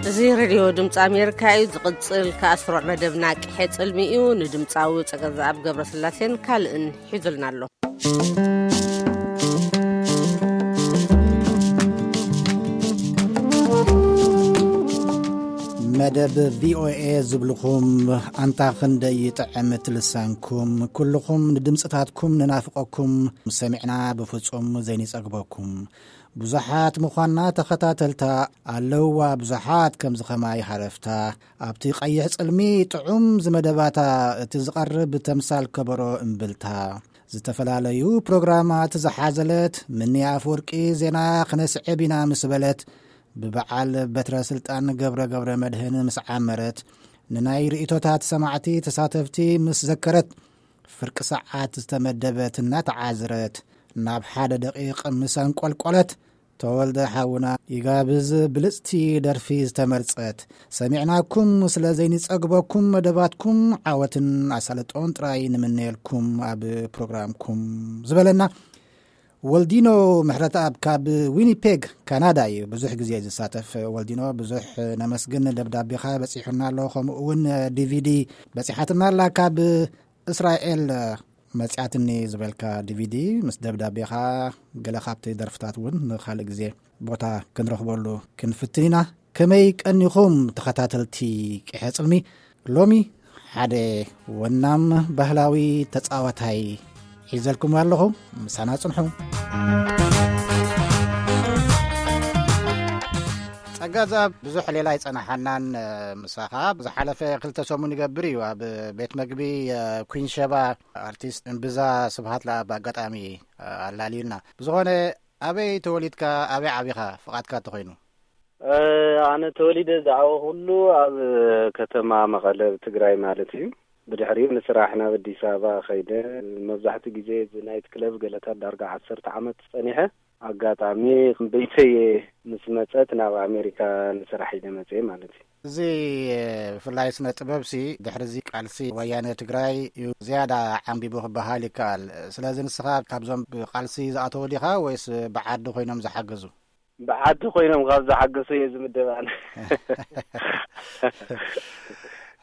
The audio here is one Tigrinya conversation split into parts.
እዚ ሬድዮ ድምፂ ኣሜሪካ እዩ። ዝቕፅል ከኣ ስሩዕ መደብና ቅሐ ጽልሚ እዩ። ንድምፃዊ ጸገዛኣብ ገብረስላሴን ካልእን ሒዙልና ኣሎ። መደብ ቪኦኤ ዝብልኹም ኣንታ ክንደይ ይጥዕም እቲ ልሳንኩም። ኩልኹም ንድምፅታትኩም ንናፍቐኩም፣ ሰሚዕና ብፍጹም ዘይንጸግበኩም። ብዙሓት ምዃንና ተኸታተልታ ኣለውዋ፣ ብዙሓት ከምዚ ኸማይ ሃረፍታ። ኣብቲ ቀይሕ ጽልሚ ጥዑም ዝመደባታ፣ እቲ ዝቐርብ ተምሳል ከበሮ እምብልታ። ዝተፈላለዩ ፕሮግራማት ዝሓዘለት ምንያ ኣፈወርቂ ዜና ክነስዕብ ኢና ምስ በለት፣ ብበዓል በትረ ስልጣን ገብረ ገብረ መድህን ምስ ዓመረት፣ ንናይ ርእይቶታት ሰማዕቲ ተሳተፍቲ ምስ ዘከረት፣ ፍርቂ ሰዓት ዝተመደበት እናተዓዝረት፣ ናብ ሓደ ደቂቕ ምስ ኣንቆልቆለት፣ ተወልደ ሓውና ይጋብዝ ብልጽቲ ደርፊ ዝተመርጸት። ሰሚዕናኩም ስለ ዘይንጸግበኩም መደባትኩም ዓወትን ኣሳልጦን ጥራይ ንምነየልኩም ኣብ ፕሮግራምኩም ዝበለና ወልዲኖ ምሕረተኣብ ካብ ዊኒፔግ ካናዳ እዩ። ብዙሕ ግዜ ዝሳተፍ ወልዲኖ፣ ብዙሕ ነመስግን። ደብዳቤኻ በጺሑና ኣሎ፣ ከምኡ እውን ዲቪዲ በጺሓትና ኣላ ካብ እስራኤል መጽያትኒ ዝበልካ ዲቪዲ ምስ ደብዳቤኻ። ገለ ካብቲ ደርፍታት እውን ንኻልእ ግዜ ቦታ ክንረኽበሉ ክንፍትን ኢና። ከመይ ቀኒኹም ተኸታተልቲ ቅሐ ጽልሚ? ሎሚ ሓደ ወናም ባህላዊ ተጻዋታይ ሒዘልኩም ኣለኹ። ምሳና ጽንሑ። ጸጋዛብ ብዙሕ ሌላ ኣይጸናሓናን። ምሳኻ ብዝሓለፈ ክልተ ሰሙን ይገብር እዩ ኣብ ቤት መግቢ ኩንሸባ ኣርቲስት እምብዛ ስብሃት ለኣብ ኣጋጣሚ ኣላልዩና። ብዝኾነ ኣበይ ተወሊድካ፣ ኣበይ ዓቢኻ፣ ፍቓድካ ተኾይኑ? ኣነ ተወሊደ ዝዓበኹሉ ኣብ ከተማ መቐለ፣ ትግራይ ማለት እዩ። ብድሕሪኡ ንስራሕ ናብ ኣዲስ ኣበባ ኸይደ። መብዛሕትኡ ግዜ እዚ ናይት ክለብ ገለታት ዳርጋ ዓሰርተ ዓመት ጸኒሐ። ኣጋጣሚ ቤተየ ምስ መጸት ናብ ኣሜሪካ ንስራሕ ኢለ መጽየ ማለት እዩ። እዚ ብፍላይ ስነ ጥበብሲ ድሕሪ እዚ ቃልሲ ወያነ ትግራይ እዩ ዝያዳ ዓንቢቡ ክበሃል ይከኣል። ስለዚ ንስኻ ካብዞም ብቃልሲ ዝኣተዉ ዲኻ ወይስ ብዓዲ ኮይኖም ዝሓገዙ? ብዓዲ ኮይኖም ካብ ዝሓገዙ እየ ዝምደብ ኣነ።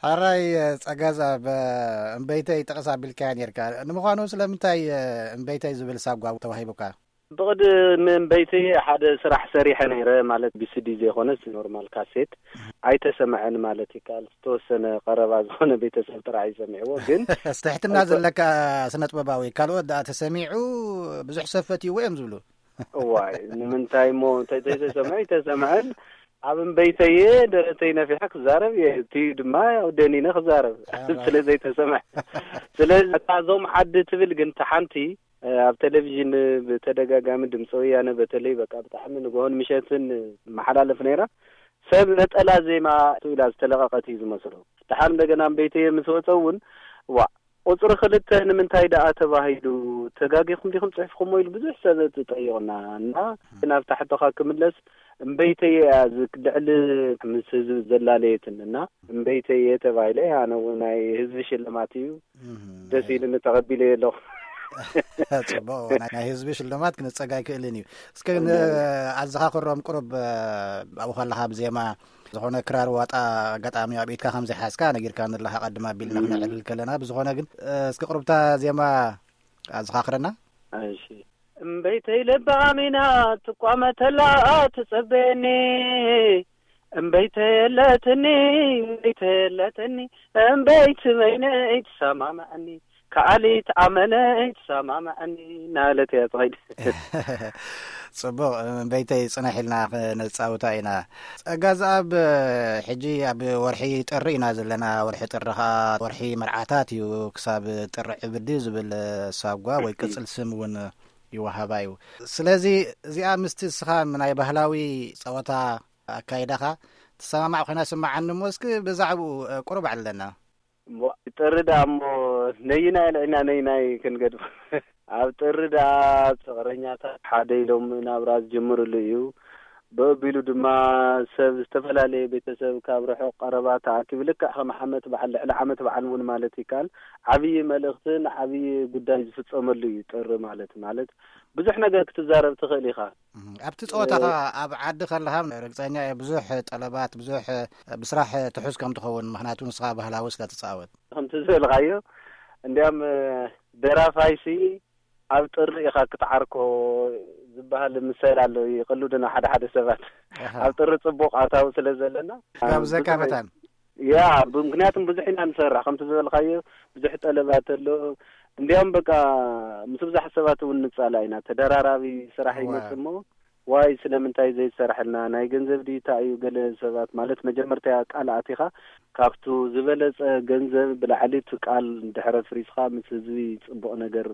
ሕራይ ጸጋዛ፣ እምበይተይ ጠቐስ ኣቢልካያ ነርካ። ንምዃኑ ስለምንታይ እምበይተይ ዝብል ሳጓ ተዋሂቡካ? ብቕድሚ እምበይተይ ሓደ ስራሕ ሰሪሐ ነይረ፣ ማለት ቢሲዲ ዘይኮነስ ኖርማል ካሴት። ኣይተሰምዐን ማለት ይከኣል። ዝተወሰነ ቀረባ ዝኾነ ቤተሰብ ጥራሕ እዩ ሰሚዕዎ። ግን ትሕትና ዘለካ ስነ ጥበባዊ፣ ካልኦት ደኣ ተሰሚዑ ብዙሕ ሰብ ፈትይዎ እዮም ዝብሉ። እዋይ፣ ንምንታይ እሞ እንተ-፣ ተይተሰምዐ ኣይተሰምዐን። ኣብ እምበይተየ ደረተይ ነፊሐ ክዛረብ እየ። እቲ ድማ ያው ደኒነ ክዛረብ ስለ ዘይተሰምዐ። ስለዚ እታ እዞም ዓዲ ትብል ግን፣ እታ ሓንቲ ኣብ ቴሌቪዥን ብተደጋጋሚ ድምፂ ወያነ በተለይ በቃ ብጣዕሚ ንግሆን ምሸትን መሓላለፍ ነይራ። ሰብ ነጠላ ዜማ ኢላ ዝተለቐቐት እዩ ዝመስሎ። ደሓር እንደገና እምበይተየ ምስ ወፀ እውን፣ ዋ፣ ቁፅሪ ክልተ ንምንታይ ደኣ ተባሂሉ? ተጋጊኹም ዲኹም ፅሒፍኩሞ? ኢሉ ብዙሕ ሰብ ትጠይቕና እና፣ ናብታ ሕቶኻ ክምለስ፣ እምበይተየ እያ ዝ-፣ ልዕሊ ምስ ህዝቢ ዘላለየትን እና፣ እምበይተየ ተባሂለ። ኣነ እውን ናይ ህዝቢ ሽልማት እዩ፣ ደስ ኢሉኒ ተቐቢለዮ ኣለኹ። ጽቡቕ፣ ናይ፣ ናይ ህዝቢ ሽልማት ክንጸግ ኣይክእልን እዩ። እስከ ን-፣ ኣዘኻኽሮም ቁሩብ፣ ኣብኡ ከለኻ ብዜማ ዝኾነ ክራር ዋጣ ኣጋጣሚ ኣብ ኢድካ ከም ዘይሓዝካ ነጊርካ ንለኻ ቀድም ኣቢልና ክነዕልል ከለና። ብዝኾነ ግን፣ እስኪ ቁሩብታ ዜማ ኣዘኻኽረና። እሺ። እምበይተይ ለባም ኢና ትቋመተላ ትጸበየኒ፣ እምበይተይ የለትኒ፣ እምበይተይ የለትኒ፣ እምበይቲ በይነይ ትሰማምዐኒ፣ ከኣሊት ኣመነይ ትሰማምዐኒ እናበለት እያ ትኸይድ። ጽቡቕ፣ እምበይተይ ጽንሕ ኢልና ክነጻውታ ኢና። ጸጋ ዘኣብ፣ ሕጂ ኣብ ወርሒ ጥሪ ኢና ዘለና። ወርሒ ጥሪ ኸኣ ወርሒ መርዓታት እዩ። ክሳብ ጥሪ ዕብዲ ዝብል ሳጓ ወይ ቅጽል ስም እውን ይወሃባ እዩ። ስለዚ እዚኣ ምስቲ እስኻ ናይ ባህላዊ ጸወታ ኣካይዳኻ ትሰማማዕ ኮይና ስምዓኒ እሞ፣ እስኪ ብዛዕባኡ፣ እ፣ ቁሩብ ኣዕልለና። እሞ ጥሪ ደኣ እሞ ነይናይ ኣልዒና ነይናይ ክንገድፎ። ኣብ ጥሪ ደኣ ፍቕረኛታት ሓደ ኢሎም ናብራ ዝጅምርሉ እዩ። ብኣቢሉ ድማ ሰብ ዝተፈላለየ ቤተሰብ ካብ ርሑቕ ቀረባ ተኣኪቡ ልክዕ ከም ዓመት በዓል፣ ልዕሊ ዓመት በዓል እውን ማለት ይከኣል፣ ዓብዪ መልእኽትን ዓብዪ ጉዳይ ዝፍጸመሉ እዩ ጥሪ ማለት። ማለት ብዙሕ ነገር ክትዛረብ ትኽእል ኢኻ። እም፣ ኣብቲ ጸወታኻ እ- ኣብ ዓዲ ከለኻ ርግጸኛ እየ ብዙሕ ጠለባት፣ ብዙሕ ብስራሕ ትሑዝ ከም ትኸውን፣ ምኽንያቱ ንስኻ ባህላዊ ስለ ትጻወት። ከምቲ ዝበልካዮ እንዲያም እ፣ ደራፋይሲ ኣብ ጥሪ ኢኻ ክትዓርኮ ዝበሃል ምሰል ኣሎ፣ ይቕልዱና ሓደ ሓደ ሰባት። ኣሃ። ኣብ ጥሪ ጽቡቕ ኣታዊ ስለ ዘለና፣ ጋብዘካ ብዙሕ መታን። ያ፣ ብምኽንያቱም ብዙሕ ኢና ንሰርሕ፣ ከምቲ ዝበልካዮ ብዙሕ ጠለባት ኣሎ። እንዲያውም በቃ ምስ ብዙሓት ሰባት እውን ንጻላ ኢና፣ ተደራራቢ ስራሕ እዋ። ይመጽእ እሞ፣ ዋይ ስለምንታይ ዘይሰርሐልና፣ ናይ ገንዘብ ድዩ እንታይ እዩ፣ ገለ ሰባት ማለት መጀመርታ ቃል ኣቲኻ ካብቱ ዝበለጸ ገንዘብ ብላዕሊ እቲ ቃል ድሕረ ፍሪስኻ ምስ ህዝቢ ጽቡቕ ነገር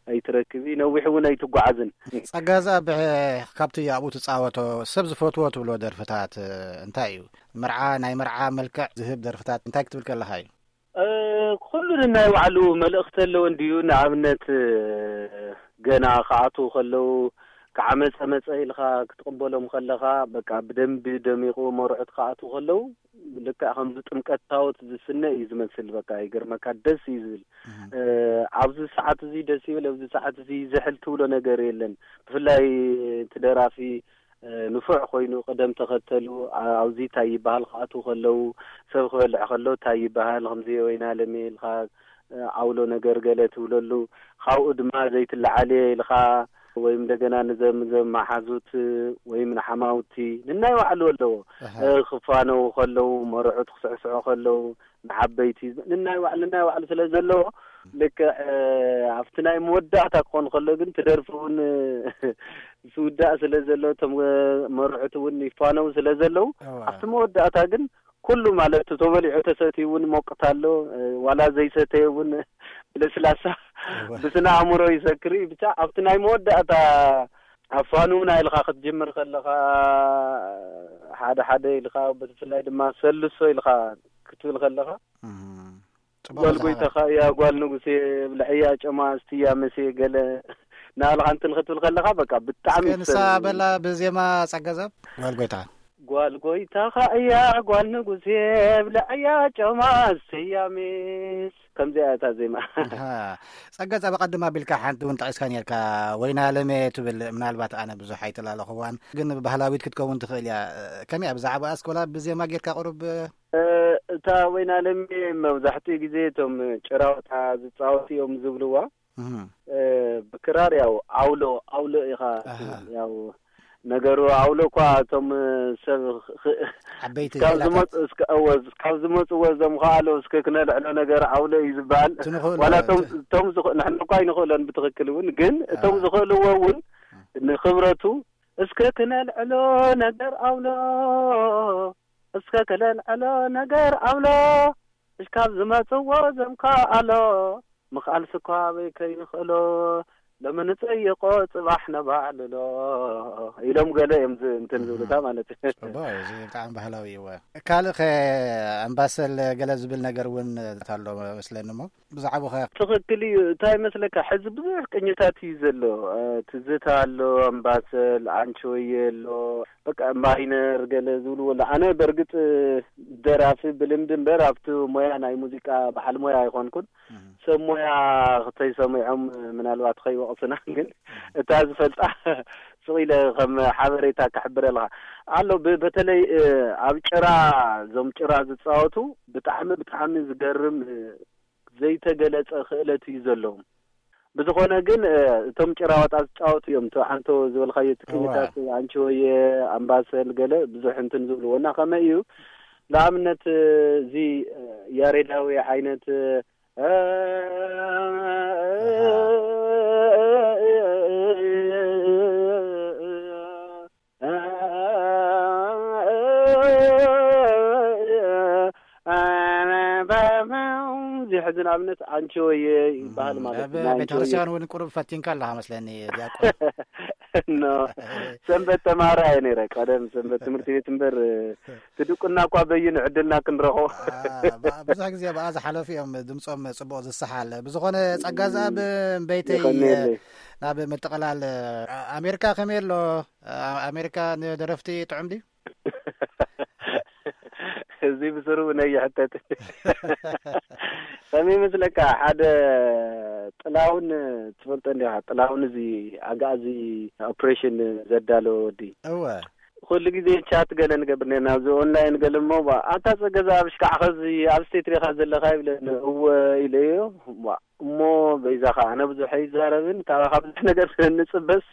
ኣይትረክብ እዩ፣ ነዊሕ እውን ኣይትጓዓዝን። ጸጋዛ ብሕ-፣ ካብቲ ኣብኡ ትጻወቶ ሰብ ዝፈትዎ ትብሎ ደርፍታት እንታይ እዩ? መርዓ፣ ናይ መርዓ መልክዕ ዝህብ ደርፍታት እንታይ ክትብል ከለኻ እዩ? እ፣ ኩሉ ነናይ ባዕሉ መልእኽቲ ኣለዎ እንድዩ። ንኣብነት፣ እ፣ ገና ክኣትዉ ከለዉ፣ ክዓ መጸ መጸ ኢልኻ ክትቕበሎም ከለኻ፣ በቃ ብደንቢ ደሚቑ መርዑት ክኣትዉ ከለዉ፣ ልክዕ ከምዚ ጥምቀት ታቦት ዝስነ እዩ ዝመስል። በቃ ይገርመካ፣ ደስ እዩ ዝብል። እህ። እ፣ ኣብዚ ሰዓት እዚ ደስ ይብል፣ ኣብዚ ሰዓት እዚ ዝሕል ትብሎ ነገር የለን። ብፍላይ እቲ ደራፊ እ፣ ንፉዕ ኮይኑ ቅደም ተኸተሉ፣ ኣ-፣ ኣብዚ እንታይ ይበሃል ክኣትዉ ከለዉ፣ ሰብ ክበልዕ ከሎ እንታይ ይበሃል፣ ከምዚ ወይና ለሜ ኢልካ፣ እ፣ ዓውሎ ነገር ገለ ትብለሉ። ካብኡ ድማ ዘይትለዓልየ ኢልካ፣ ወይም እንደገና ንዘም-፣ ዘመሓዙት ወይም ንሓማውቲ ንናይ ባዕሉ ኣለዎ። ኣሃ። እ፣ ክፋነዉ ከለዉ፣ መርዑት ክስዕስዑ ከለዉ፣ ንዓበይቲ ንናይ ባዕሉ፣ ንናይ ባዕሉ ስለ ዘለዎ፣ ልክዕ፣ እ፣ ኣብቲ ናይ መወዳእታ ክኾን ከሎ ግን፣ እቲ ደርፊ እውን ዝውዳእ ስለ ዘሎ፣ እቶም፣ እ፣ መርዑት እውን ይፋነው ስለ ዘለዉ፣ እዋ። ኣብቲ መወዳእታ ግን ኩሉ ማለት ተበሊዑ ተሰትዩ እውን ሞቅታ ኣሎ፣ እ፣ ዋላ ዘይሰተየ እውን ለስላሳ እዋ። ብስነ ኣእምሮ ይሰክር እዩ። ብቻ ኣብቲ ናይ መወዳእታ ኣፋንውና ኢልካ ክትጅምር ከለኻ፣ ሓደ ሓደ ኢልካ፣ ብፍላይ ድማ ሰልሶ ኢልካ ክትብል ከለኻ፣ እም። ጽቡቕ ጓል መዛኸሪ። ጎይታኻ እያ፣ ጓል ንጉሴ ብልዐያ ጨማ እስትያ መሴ ገለ ናባልኻ እንትን ክትብል ከለኻ፣ በቃ ብጣዕሚ እስከ ንሳ ሰብ በላ ብዜማ ጸገዘብ፣ ጓል ጎይታ። ጓል ጎይታኻ እያ፣ ጓል ንጉሴ ብልዐያ ጨማ እስትያ ሜስ። ከምዚኣ እያ እታ ዜማ። ኣሃ። ጸገዘብ፣ ኣቐድም ኣቢልካ ሓንቲ እውን ጠቒስካ ኔርካ፣ ወይና ለሜ ትብል፣ ምናልባት ኣነ ብዙሕ ኣይተላለኹዋን፣ ግን ባህላዊት ክትከውን ትኽእል እያ። ከመይ እያ፣ ብዛዕባ ኣስኮላ ብዜማ ጌርካ ቁሩብ እ፣ እታ ወይና ለሜ መብዛሕትኡ ግዜ እቶም ጭራዋጣ ዝጻወቱ እዮም ዝብልዋ። እህ። እ፣ ብክራር ያው ኣውሎ፣ ኣውሎ ኢኻ ኣሃ። ያው ነገሩ ኣውሎ እኳ እቶም ሰብ ኽ-፣ ኽ-፣ ዓበይቲ እስካብ ክእላታት። ዝመጹ፣ እስከ-፣ እወ፣ እስካብ ዝመጹ ወዘም ከኣሎ እስከ ክነልዕሎ ነገር ኣውሎ እዩ ዝበሃል። እቲ ንኽእሎ ዋላ እቶም፣ እቲ እቶም ዝኽ-፣ ንሕና እኳ ኣይንኽእሎን ብትኽክል እውን፣ ግን እቶም ኣዋ። ዝኽእልዎ እውን ንኽብረቱ እስከ ክነልዕሎ ነገር ኣውሎ፣ እስከ ክነልዕሎ ነገር ኣውሎ፣ እስካብ ዝመጽዎ ዘምካ ኣሎ፣ ምኽኣል ስኳ ኣበይ ከይንኽእሎ፣ ሎሚ ንጸይቆ ጽባሕ ነባዕልሎ ኢሎም ገለ እዮም ዝ-፣ እንትን እህ። ዝብሉታ ማለት እዩ። ጽቡቕ እዩ፣ እዚ ብጣዕሚ ባህላዊ እዩ። እወ። ካልእ ኸ ኣምባሰል ገለ ዝብል ነገር እውን ኣሎ መስለኒ እሞ፣ ብዛዕባኡ ኸ? ትኽክል እዩ። እንታይ ይመስለካ፣ ሕዚ ብዙሕ ቅኝታት እዩ ዘሎ። እ፣ ትዝታ ኣሎ፣ ኣምባሰል፣ ኣንቺሆየ ኣሎ፣ በቃ ማይነር ገለ ዝብልዎ ኣሎ። ኣነ በርግጥ ደራፊ ብልምዲ እምበር ኣብቲ ሞያ ናይ ሙዚቃ በዓል ሞያ ኣይኮንኩን። እህ። ሰብ ሞያ ክተይሰሚዖም ምናልባት ከይወቕስና፣ ግን እህ። እታ ዝፈልጣ ስቕ ኢለ ከም ሓበሬታ ክሕብረልካ ኣሎ። ብ-፣ በተለይ፣ እ፣ ኣብ ጭራ፣ እዞም ጭራ ዝጻወቱ ብጣዕሚ፣ ብጣዕሚ ዝገርም፣ እ፣ ዘይተገለጸ ክእለት እዩ ዘለዎም። ብዝኾነ ግን፣ እ፣ እቶም ጭራዋጣ ዝጻወቱ እዮም። እቲ ዓንቶ ዝበልካዮ፣ እቲ እዋ። ቅኒታት፣ ኣንቺሆየ፣ ኣምባሰል፣ ገለ ብዙሕ እንትን ዝብልዎ። እና ከመይ እዩ? ንኣብነት፣ እ፣ እዚ፣ እ፣ ያሬዳዊ ዓይነት፣ እ፣ ኣሃ። እዚ ሕዚ ንኣብነት ኣንቺሆየ ይበሃል እም፣ ማለት ኣብ እዩ። ናይ ኣንቺሆየ ቤተክርስትያን እውን ቁሩብ ፈቲንካ ኣለኻ መስለኒ፣ ዲያቆን። ኖ፣ ሰንበት ተማሃራይ እየ ነይረ። ቀደም ሰንበት ትምህርቲ ቤት እምበር፣ ትድቁና እኳ በይኑ ዕድልና ክንረኽቦ። አ፣ ብ-፣ ብዙሕ ግዜ ብኣ ዝሓለፉ እዮም ድምፆም ፅቡቕ ዝሰሓል። ብዝኾነ ጸጋ ዝኣብ እምበይተይ፣ የቐንየለይ። ናብ ምጥቕላል፣ አ-፣ ኣሜሪካ ከመይ ኣሎ? አ-፣ ኣሜሪካ ንደረፍቲ ጥዑም ድዩ? እዚ ብስሩ ነይሕተት። ከመይ ይመስለካ፣ ሓደ ጥላሁን ትፈልጦ እንዲኻ? ጥላሁን እዚ ኣጋዚ ኦፕሬሽን ዘዳለወ ወዲ። እወ። ኩሉ ግዜ ቻት ገለ ንገብር ነርና፣ ኣብዚ ኦንላይን ገለ እሞ፣ ባ-፣ ኣታ ጸገዛ ኣብ ሽካዕኸ እዚ ኣብ ስቴት ዲኻ ዘለኻ ይብለኒ። እወ ኢለዮ። ባ-፣ እሞ በይዛኻ ኣነ ብዙሕ ኣይዛረብን፣ ካባኻ ብዙሕ ነገር ስለ እንጽበስ፣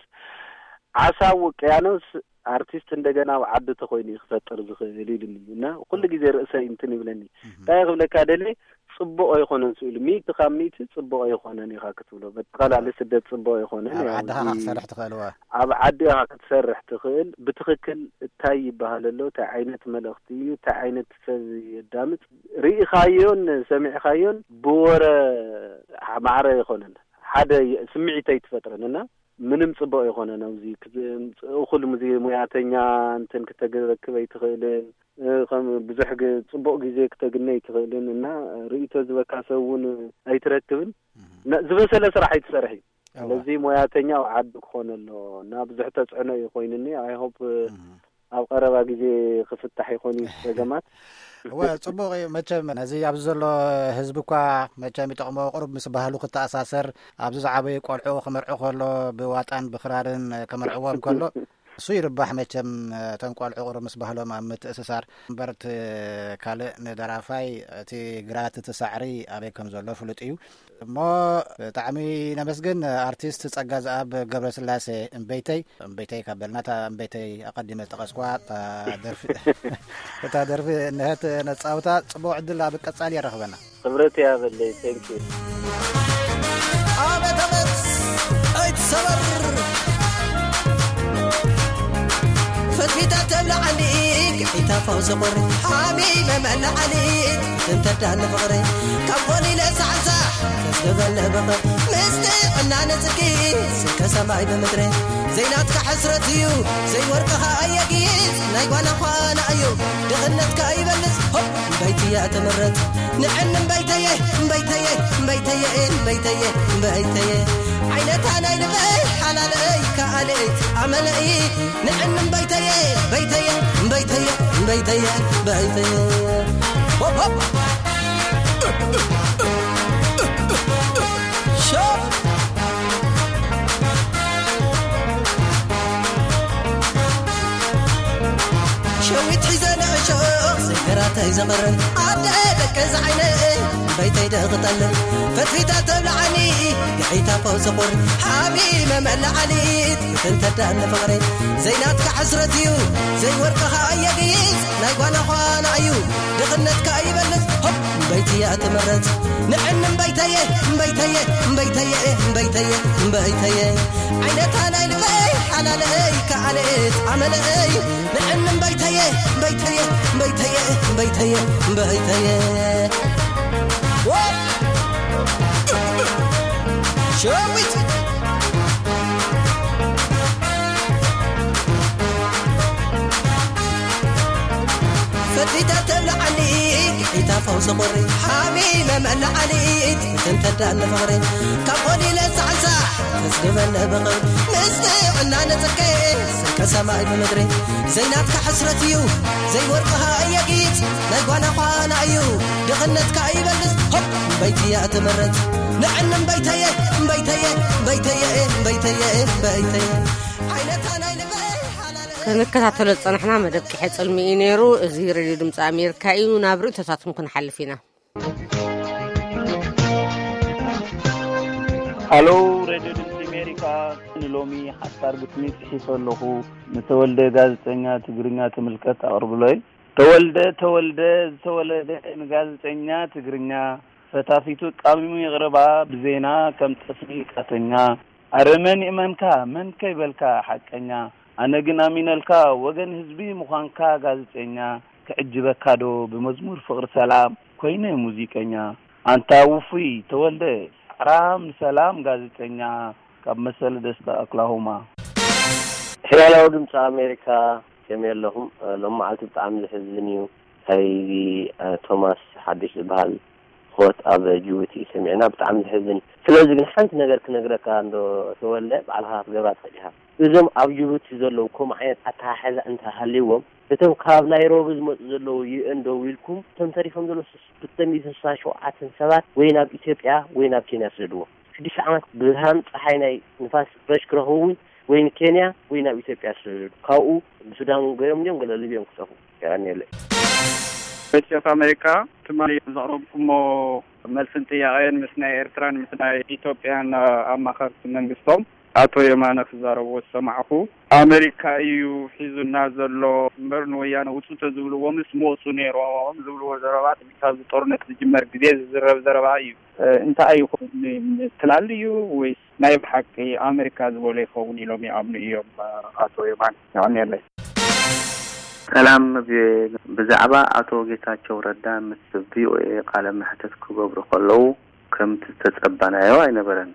ዓሳ ኣብ ውቅያኖስ ኣርቲስት እንደገና ኣብ ዓዲ ተኾይኑ እዩ ክፈጥር ዝኽእል ኢሉኒ። እና ኩሉ ግዜ ርእሰይ እንትን ይብለኒ። እህ። እንታይ ክብለካ ደልየ፣ ጽቡቕ ኣይኮነን ስኢሉ። ሚእቲ ካብ ሚእቲ ጽቡቕ ኣይኮነን ኢኻ ክትብሎ። በጠቓላሊ ስደት ጽቡቕ ኣይኮነን። ኣብ ያው ዓድኻ እዚ ኢኻ ክትሰርሕ ትኽእል፣ እወ። ኣብ ዓዲ ኢኻ ክትሰርሕ ትኽእል። ብትኽክል እንታይ ይበሃል ኣሎ፣ እንታይ ዓይነት መልእኽቲ እዩ፣ እንታይ ዓይነት ሰብ የዳምጽ፣ ርኢኻዮን ሰሚዕኻዮን ብወረ ማዕረ ኣይኮነን። ሓደ የ-፣ ስምዒት ኣይትፈጥርን እና ምንም ጽቡቕ ኣይኮነን። ኣብዚ ክት-፣ እኹል ሙዚ-፣ ሙያተኛ እንትን ክተረክብ ኣይትኽእልን። እ፣ ከም ብዙሕ ግ-፣ ጽቡቕ ግዜ ክተግነ ኣይትኽእልን እና ርእይቶ ዝበካ ሰብ እውን ኣይትረክብን። እህ። ነ-፣ ዝበሰለ ስራሕ ኣይትሰርሕ እዩ። እዋ። ስለዚ ሞያተኛ ኣብ ዓዲ ክኾን ኣለዎ እና ብዙሕ ተጽዕኖ እዩ ኮይኑኒ። ኣይ ሆፕ እህ። ኣብ ቀረባ ግዜ ክፍታሕ ይኾን እዩ ጸገማት። እወ፣ ጽቡቕ እዩ። መቸም ነዚ ኣብዚ ዘሎ ህዝቢ እኳ መቸም ይጠቕሞ፣ ቁሩብ ምስ ባህሉ ክተኣሳሰር፣ ኣብዚ ዝዓበዩ ቆልዑ ክመርዑ ከሎ ብዋጣን ብኽራርን ከመርዕዎም ከሎ፣ እሱ ይርባሕ መቸም፣ እቶም ቆልዑ ቁሩብ ምስ ባህሎም ኣብ ምትእስሳር። እምበር እቲ ካልእ ንደራፋይ እቲ ግራት እቲ ሳዕሪ ኣበይ ከም ዘሎ ፍሉጥ እዩ። እሞ ብጣዕሚ ነመስግን ኣርቲስት ጸጋ ዝኣብ ገብረስላሴ እምበይተይ። እምበይተይ ካብ በልና፣ እታ እምበይተይ ኣቐዲመ ዝጠቐስኳ፣ እታ ደርፊ፣ እታ ደርፊ እንሀት ነጻውታ። ጽቡቕ ዕድል ኣብ ቀጻሊ የራኽበና። ክብረት ያበለይ። Thank you። ኣበት ኣበት ኣይትሰበር። ፈትፊታ ተብልዓኒ ግሒታ ፈውሲ ቁሪ ሓሚመ መላዓሊ እንተዳኒ ፍቕሪ ካብ ኾኒ ለሳዕሳዕ ተስገበለ በቐ ምስቲ ዕናነ ጽድቂ ስከ ሰማይ ብምድሪ ዘይናትካ ሕስረት እዩ ዘይወርቅኻ ኣየጊጽ ናይ ጓና ዃና እዩ ድኽነትካ ይበልጽ ሆፕ እምበይትያ ትምረጽ ንዕን እምበይተየ እምበይተየ እምበይተየ እምበይተየ እምበይተየ ዓይነታ ናይ ልበይ ሓላለይ ከኣለይ ኣመለይ ንዕን እምበይተየ እምበይተየ እምበይተየ እምበይተየ እምበይተየ ሆፕ ሆፕ ሸው ሸዊት ሒዘ ንዕሾ ዘይገራተይ ዘቕርብ ኣደ ደቂ ዝዓይነ በይተይ ደኽጠልብ ፈትፊታ ተብልዓኒ ግሒታ ፈውሲ ቁር ሓሚመ መላዓሊት ክትንተዳኒ ፍቕሪ ዘይናትካ ሕስረት እዩ ዘይወርቅኻ ኣየግይጽ ናይ ጓና ዃና እዩ ድኽነትካ ይበልጽ ሆፕ እምበይትያ ትምረጽ ንዕን እምበይተየ እምበይተየ እምበይተየ እምበይተየ እምበይተየ ዓይነታ ናይ ልበይ ሓላለይ ከኣለት ኣመለይ ንዕን እምበይተየ እምበይተየ እምበይተየ እምበይተየ እምበይተየ ዋ ሸዊት ፈቲታ ተብልዓኒ ጌታ ፈውሲ ቁሪ ሓሚመ መላዓሊት ክትንተዳኒ ፍቕሪ ካብ ኾኒ ለሳዕሳዕ ተስግበለ ብቕር ምስ ጥዕና ንጽቀ ስንቀ ሰማይ ብምድሪ ዘይናትካ ሕስረት እዩ ዘይወርቅኻ ኣየጊጽ ናይ ጓና ዃና እዩ ድኽነትካ ይበልጽ ሆፕ እምበይትያ ትምረጽ ንዕን እምበይተየ እምበይተየ እምበይተየ እምበይተየ እምበይተየ ዓይነታ ናይ ልበይ ሓላለ ክንከታተሎ ዝጸናሕና መደብ ቂሐ ጽልሚ እዩ ነይሩ። እዚ ሬድዮ ድምፂ ኣሜሪካ እዩ። ናብ ርእቶታትኩም ክንሓልፍ ኢና። ሃሎ፣ ሬድዮ ድምፂ ኣሜሪካ፣ ንሎሚ ሓሳር ግጥሚ ጽሒፈ ኣለኹ። ንተወልደ ጋዜጠኛ ትግርኛ ትምልከት ኣቕርብሎይ። ተወልደ፣ ተወልደ፣ ዝተወለደ ንጋዜጠኛ ትግርኛ፣ ፈታፊቱ ቃሚሙ ይቕረባ ብዜና ከም ጠስሚ ቃተኛ። ኣረ መን ይእመንካ መን ከይበልካ ሓቀኛ፣ ኣነ ግን ኣሚነልካ ወገን ህዝቢ ምዃንካ ጋዜጠኛ፣ ክዕጅበካ ዶ ብመዝሙር ፍቕሪ ሰላም ኮይነ ሙዚቀኛ። ኣንታ ውፉይ ተወልደ ጻዕራም ንሰላም ጋዜጠኛ፣ ካብ መሰለ ደስታ ኦክላሆማ። ሄሎ፣ ድምፂ ኣሜሪካ፣ ከመይ ኣለኹም? እ፣ ሎም መዓልቲ ብጣዕሚ ዘሕዝን እዩ። ናይዚ፣ እ፣ ቶማስ ሓድሽ ዝበሃል ሞት ኣብ ጅቡቲ ሰሚዕና፣ ብጣዕሚ ዘሕዝን እዩ። ስለዚ ግን ሓንቲ ነገር ክነግረካ እንዶ ተወልደ፣ ባዕልኻ ክትገብራ ትኽእል ኢኻ። እዞም ኣብ ጅቡቲ ዘለዉ ከምኡ ዓይነት ኣተሓሕዛ እንተሃልይዎም፣ እቶም ካብ ናይሮቢ ዝመፁ ዘለዉ ዩ ኤን ደው ኢልኩም፣ እቶም ተሪፎም ዘለዉ ክልተ ሚእትን ስሳን ሸውዓተን ሰባት ወይ ናብ ኢትዮጵያ ወይ ናብ ኬንያ ስደድዎም። ሽዱሽተ ዓመት ብርሃን ፀሓይ ናይ ንፋስ ፍረሽ ክረኽቡ እውን ወይ ንኬንያ ወይ ናብ ኢትዮጵያ ስደዱ። ካብኡ ብሱዳን ገይሮም እዮም ገለ ሊብዮም ክጠፉ። የቐንየለይ። ቮይስ ኦፍ ኣሜሪካ፣ ትማሊ ዘቕረብኩሞ መልስን ጥያቄን ምስ ናይ ኤርትራን ምስ ናይ ኢትዮጵያን ኣማኸርቲ መንግስቶም ኣቶ የማነ ክዛረብዎ ዝሰማዕኹ፣ ኣሜሪካ እዩ ሒዙና ዘሎ እምበር ንወያነ ውፁ ተዝብልዎምስ ምወፁ ነይሮም ዝብልዎ ዘረባ ካብዚ ጦርነት ዝጅመር ግዜ ዝዝረብ ዘረባ እዩ። እ፣ እንታይ ይኾን ትላሉ እዩ ወይስ ናይ ብሓቂ ኣሜሪካ ዝበሎ ይኸውን ኢሎም ይኣምኑ እዮም? ኣቶ የማነ፣ የቐንየለይ። ሰላም፣ ብ-፣ ብዛዕባ ኣቶ ጌታቸው ረዳ ምስ ቪኦኤ ቃለ መሕትት ክገብሩ ከለዉ ከምቲ ዝተጸበናዮ ኣይነበረን።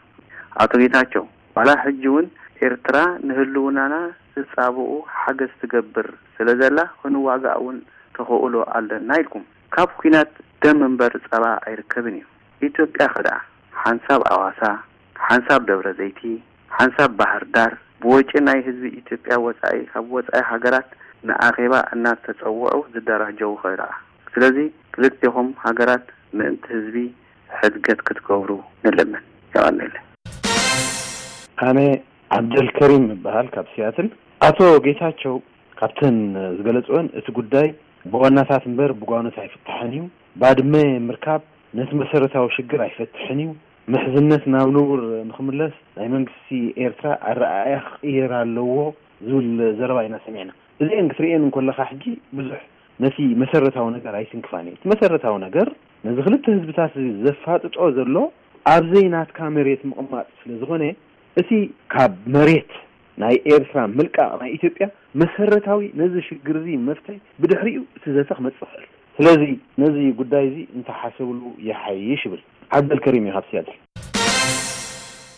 ኣቶ ጌታቸው፣ ዋላ ሕጂ እውን ኤርትራ ንህልውናና ትጻብኡ ሓገዝ ትገብር ስለ ዘላ ክንዋጋእ እውን ተኽእሎ ኣለና ኢልኩም። ካብ ኲናት ደም እምበር ጸባ ኣይርከብን እዩ። ኢትዮጵያ ኸ ደኣ ሓንሳብ ኣዋሳ፣ ሓንሳብ ደብረ ዘይቲ፣ ሓንሳብ ባህር ዳር ብወጪ ናይ ህዝቢ ኢትዮጵያ ወጻኢ ካብ ወጻኢ ሃገራት ንኣኼባ እናተጸውዑ ዝደራጀዉ ኸ ደኣ? ስለዚ ክልቴኹም ሃገራት ምእንቲ ህዝቢ ሕድገት ክትገብሩ ንልምን። የቐንየለይ። ኣነ ዓብደልከሪም እበሃል ካብ ሲያትል። ኣቶ ጌታቸው ካብተን ዝገለጽወን እቲ ጉዳይ ብዋናታት እምበር ብጓኖት ኣይፍታሕን እዩ። ባድመ ምርካብ ነቲ መሰረታዊ ሽግር ኣይፈትሕን እዩ። ምሕዝነት ናብ ንቡር ንኽምለስ ናይ መንግስቲ ኤርትራ ኣረኣእያ ክቕየር ኣለዎ ዝብል ዘረባ ኢና ሰሚዕና። እዚአን ክትርእየን እንከለኻ ሕጂ ብዙሕ ነቲ መሰረታዊ ነገር ኣይትንክፋን እዩ። እቲ መሰረታዊ ነገር ነዚ ክልተ ህዝብታት ዘፋጥጦ ዘሎ ኣብ ዘይናትካ መሬት ምቕማጥ ስለ ዝኾነ እቲ ካብ መሬት ናይ ኤርትራ ምልቃቕ ናይ ኢትዮጵያ መሰረታዊ ነዚ ሽግር እዚ መፍትሒ ብድሕሪኡ እቲ ዘተ ክመጽእ ይኽእል። ስለዚ ነዚ ጉዳይ እዚ እንተሓሰብሉ ይሓይሽ ይብል። ዓብደልከሪም እዩ ካብ ሲያትል።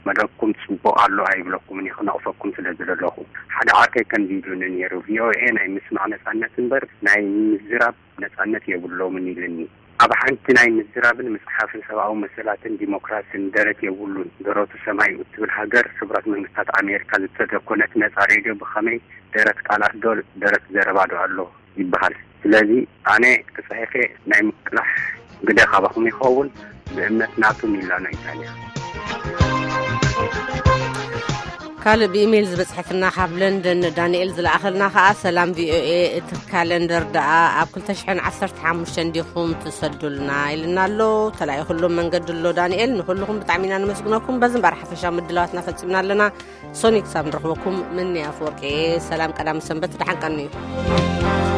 መደብኩም ጽቡቕ ኣሎ ኣይብለኩምን፣ ይኽነቕፈኩም ስለ ዝደለኹ። ሓደ ዓርከይ ከምዚ ኢሉኒ ነይሩ፣ ቪኦኤ ናይ ምስማዕ ነጻነት እምበር ናይ ምዝራብ ነጻነት የብሎምን ኢሉኒ። ኣብ ሓንቲ ናይ ምዝራብን ምጽሓፍን ሰብኣዊ መሰላትን ዲሞክራስን ደረት የብሉን። ደረቱ ሰማይ እትብል ሃገር፣ ሕቡራት መንግስታት ኣሜሪካ ዝተደኮነት ነጻ ሬድዮ ብኸመይ ደረት ቃላት ዶ ደረት ዘረባ ዶ ኣሎ ይበሃል። ስለዚ ኣነ ክጽሒፈ ናይ ምቅላሕ ግደ ካባኹም ይኸውን፣ ብእምነት ናቱ ሚላኖ ኢጣልያ። ካልእ ብኢሜይል ዝበጽሐትና ካብ ለንደን ዳንኤል ዝለኣኸልና ከኣ፣ ሰላም ቪኦኤ፣ እቲ ካለንደር ደኣ ኣብ ክልተ ሽሕን ዓሰርተ ሓሙሽተን ዲኹም ትሰዱልና ኢልና ኣሎ። ተላኢኹሎም መንገዲ ኣሎ ዳንኤል። ንኹልኹም ብጣዕሚ ኢና ነመስግነኩም። በዚ እምበኣር ሓፈሻዊ ምድላዋትና ፈጺምና ኣለና። ሶኒ ክሳብ ንረኽበኩም ምኒ ኣፈወርቂ። ሰላም ቀዳም ሰንበት፣ ደሓን ቀንዩ።